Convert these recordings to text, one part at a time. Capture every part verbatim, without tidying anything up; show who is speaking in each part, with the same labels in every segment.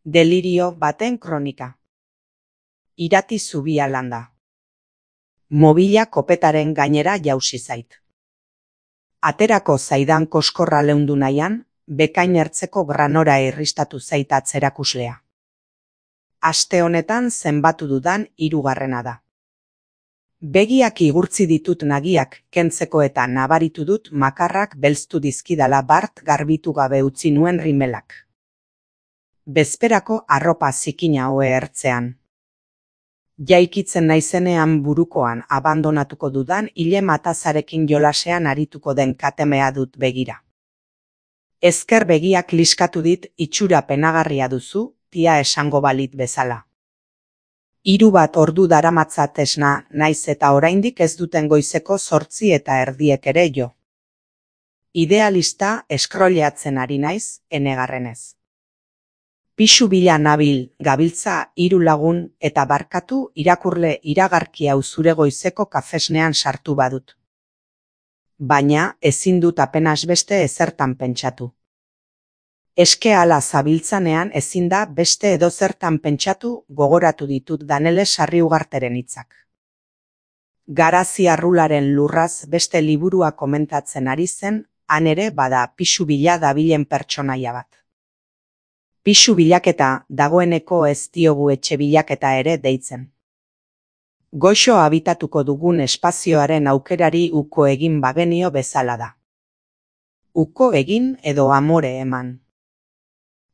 Speaker 1: Delirio baten kronika. Irati zubia landa. Mobila kopetaren gainera jausi zait. Aterako zaidan koskorra leundu nahian, bekain ertzeko granora irristatu zait atzerakuslea. Aste honetan zenbatu dudan hirugarrena da. Begiak igurtzi ditut nagiak kentzeko eta nabaritu dut makarrak belztu dizkidala bart garbitu gabe utzi nuen rimelak. Bezperako arropa zikina hoe ertzean. Jaikitzen naizenean burukoan abandonatuko dudan ile matazarekin jolasean arituko den katemea dut begira. Ezker begiak liskatu dit itxura penagarria duzu, tia esango balit bezala. Hiru bat ordu daramatzat esna, naiz eta oraindik ez duten goizeko zortzi eta erdiek ere jo. Idealista eskroleatzen ari naiz, enegarrenez. Pixu bila nabil, gabiltza, hiru lagun, eta barkatu irakurle iragarki hau zure goizeko kafesnean sartu badut. Baina ezin dut apenas beste ezertan pentsatu. Eske ala zabiltzanean ezin da beste edozertan pentsatu gogoratu ditut Danele Sarriugarteren hitzak. Garazi arrularen lurraz beste liburua komentatzen ari zen, han ere bada pixu bila dabilen pertsonaia bat. Pixu bilaketa dagoeneko ez diogu etxe bilaketa ere deitzen. Goxo habitatuko dugun espazioaren aukerari uko egin bagenio bezala da. Uko egin edo amore eman.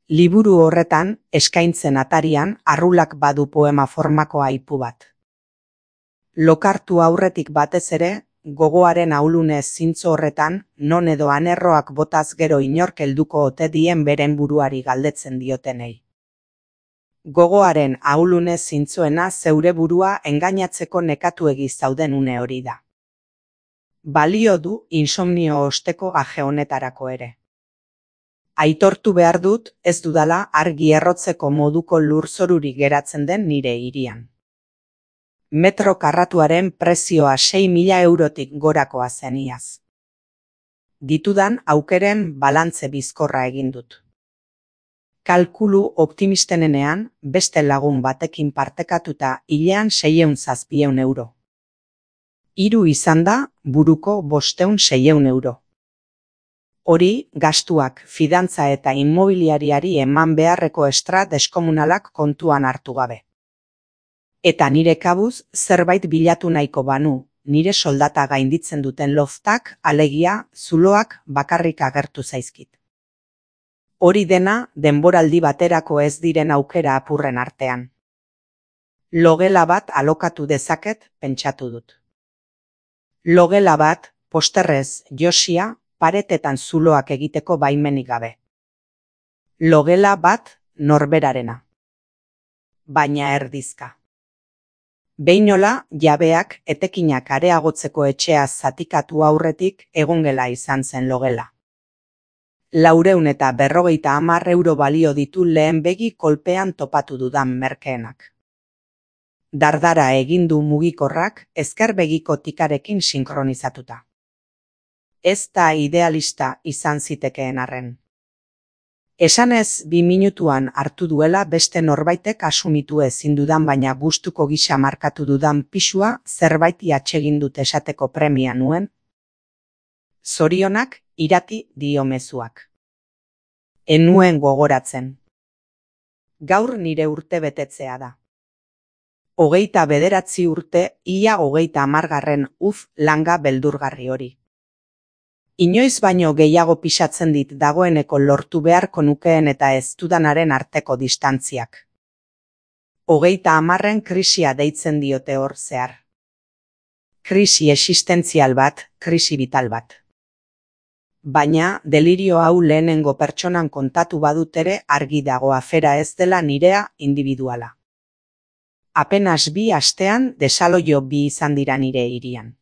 Speaker 1: Liburu horretan, eskaintzen atarian, arrulak badu poema formako aipu bat. Lokartu aurretik batez ere, gogoaren ahulunez zintzo horretan, non edo anerroak botaz gero inork helduko ote dien beren buruari galdetzen diotenei. Gogoaren ahulunez zintzoena zeure burua engainatzeko nekatuegi zauden une hori da. Balio du insomnio osteko gaje honetarako ere. Aitortu behar dut ez dudala argi errotzeko moduko lurzorurik geratzen den nire hirian. Metro karratuaren prezioa sei mila eurotik gorakoa zen iaz. Ditudan aukeren balantze bizkorra egin dut. Kalkulu optimistenenean beste lagun batekin partekatuta hilean seiehun zazpieun euro. Hiru izan da buruko bosteun seiehun euro. Hori gastuak fidantza eta inmobiliariari eman beharreko estra deskomunalak kontuan hartu gabe. Eta nire kabuz zerbait bilatu nahiko banu, nire soldata gainditzen duten loftak, alegia, zuloak bakarrik agertu zaizkit. Hori dena denboraldi baterako ez diren aukera apurren artean. Logela bat alokatu dezaket pentsatu dut. Logela bat, posterrez, josia, paretetan zuloak egiteko baimenik gabe. Logela bat norberarena. Baina erdizka. Beinola, jabeak etekinak areagotzeko etxea zatikatu aurretik egongela izan zen logela. Laureun eta berrogeita hamar euro balio ditu lehen begi kolpean topatu dudan merkeenak. Dardara egin du mugikorrak ezker begiko tikarekin sinkronizatuta. Ez da idealista izan zitekeen arren. Esanez bi minutuan hartu duela beste norbaitek asumitu ezin dudan baina gustuko gisa markatu dudan pisua zerbaiti atsegin dut esateko premia nuen. Zorionak irati dio mezuak. Enuen gogoratzen. Gaur nire urte betetzea da. Hogeita bederatzi urte, ia hogeita hamargarren uf langa beldurgarri hori. Inoiz baino gehiago pisatzen dit dagoeneko lortu beharko nukeen eta ez dudanaren arteko distantziak. Hogeita hamarren krisia deitzen diote hor zehar. Krisi existentzial bat, krisi vital bat. Baina, delirio hau lehenengo pertsonan kontatu badut ere argi dago afera ez dela nirea individuala. Apenas bi astean desaloio bi izan dira nire hirian.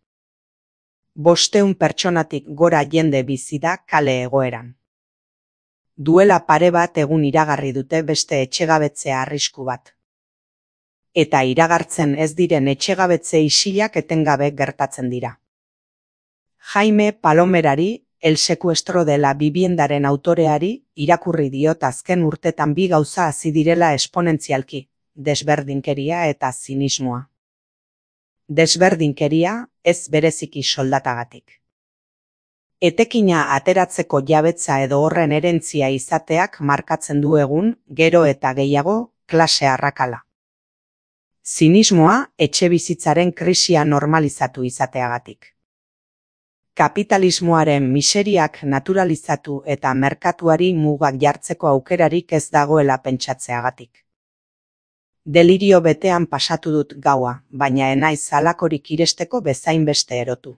Speaker 1: Bosteun pertsonatik gora jende bizi da kale egoeran. Duela pare bat egun iragarri dute beste etxegabetzea arrisku bat. Eta iragartzen ez diren etxegabetze isilak etengabe gertatzen dira. Jaime Palomerari, El secuestro de la viviendaren autoreari irakurri diot azken urtetan bi gauza hazi direla esponentzialki, desberdinkeria eta zinismoa. Desberdinkeria ez bereziki soldatagatik. Etekina ateratzeko jabetza edo horren erentzia izateak markatzen du egun, gero eta gehiago, klase arrakala. Zinismoa etxebizitzaren krisia normalizatu izateagatik. Kapitalismoaren miseriak naturalizatu eta merkatuari mugak jartzeko aukerarik ez dagoela pentsatzeagatik. Delirio betean pasatu dut gaua, baina enaiz halakorik iresteko bezainbeste erotu.